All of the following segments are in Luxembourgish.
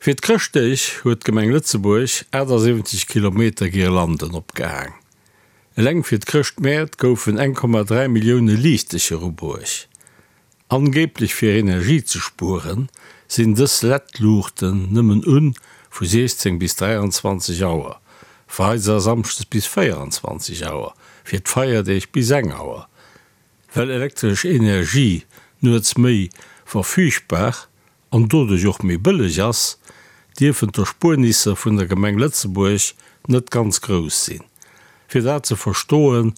Fir d'Chrëschtdeeg huet d'Gemeng Lëtzebuerg 78 Kilometer Girlanden opgehaang. Eleng fir d'Chrëschtmäert goufen 1,3 Millioune Liichtecher ubruecht. Angeeblech fir Energie ze spueren, sinn dës LED-Luuchten nëmmen un vu 16 bis 23 Auer, freides a samschdes bis 24 Auer, fir d'Feierdeeg bis eng Auer. Well elektresch Energie nuets méi verfügbar an doduerch och méi bëlleg ass, dierfen d'Erspuernisser vun der Gemeng Lëtzebuerg net ganz grouss sinn. Fir dat ze verstoen,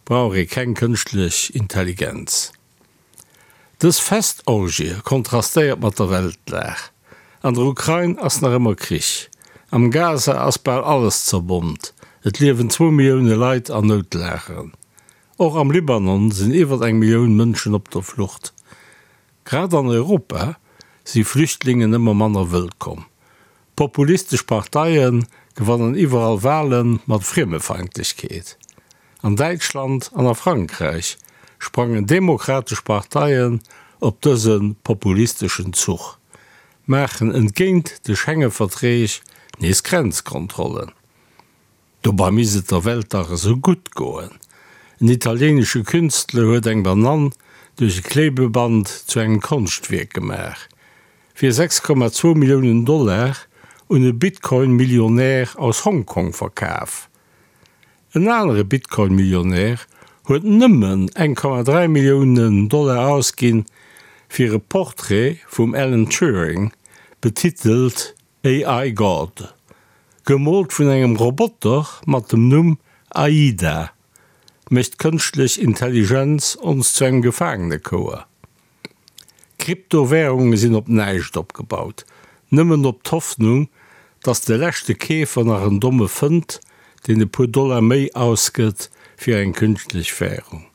brauch ee keng kënschtlech Intelligenz. Dës Festorgie kontrastéiert mat der Weltlag. An der Ukrain ass nach ëmmer Krich. Am Gaza ass bal alles zerbommt. Et liewen zwou Millioune Leit an Noutlageren. Och am Libanon sinn iwwer eng Millioun Mënschen op der Flucht. Grad an Europa si Flüchtlingen ëmmer manner wëllkomm. Populistesch Parteie gewannen iwwerall Wale mat Friemefeindlechkeet. An Däitschland an a Frankräich sprangen demokratesch Parteien op dëse populisteschen Zuch, maachen entgéint de Schengeverträg nees Grenzkontrollen. Dobei misst et der Welt dach esou gutt goen. En italienesche Künstler huet eng Banann duerch e Klebeband zu engem Konschtwierk gemaach. Fir 6,2 Milliounen Dollar un e Bitcoin-Millionär aus Hongkong verkaf. En anere Bitcoin-Millionär huet nëmmen 1,3 Milliounen Dollar ausginn, fir e Portrait vum Alan Turing, betitelt AI God, gemoolt vun engem Roboter mat dem Numm Aida, mécht d'kënschtlech Intelligenz ons zu engem Gefaangenekouer. Kryptowärunge sinn op näischt opgebaut, nëmmen op d'Hoffnung, dass de leschte Keefer nach en Domme fënnt, deen e puer Dollar méi ausgëtt fir eng künschtlech Wärung.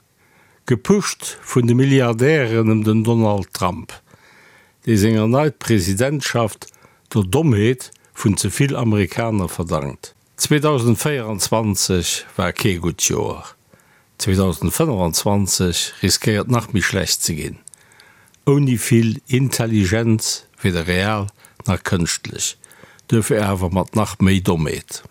Gepusht vun de Milliardären ëm den Donald Trump, dee seng erneit Presidentschaft der Dommheet vun ze vill Amerikaner verdankt. 2024 war kee gutt Joer, 2025 riskéiert nach méi schlecht ze ginn, ouni vill Intelligenz, weder real nach kënschtlech, duerfir awer mat nach méi Dommheet.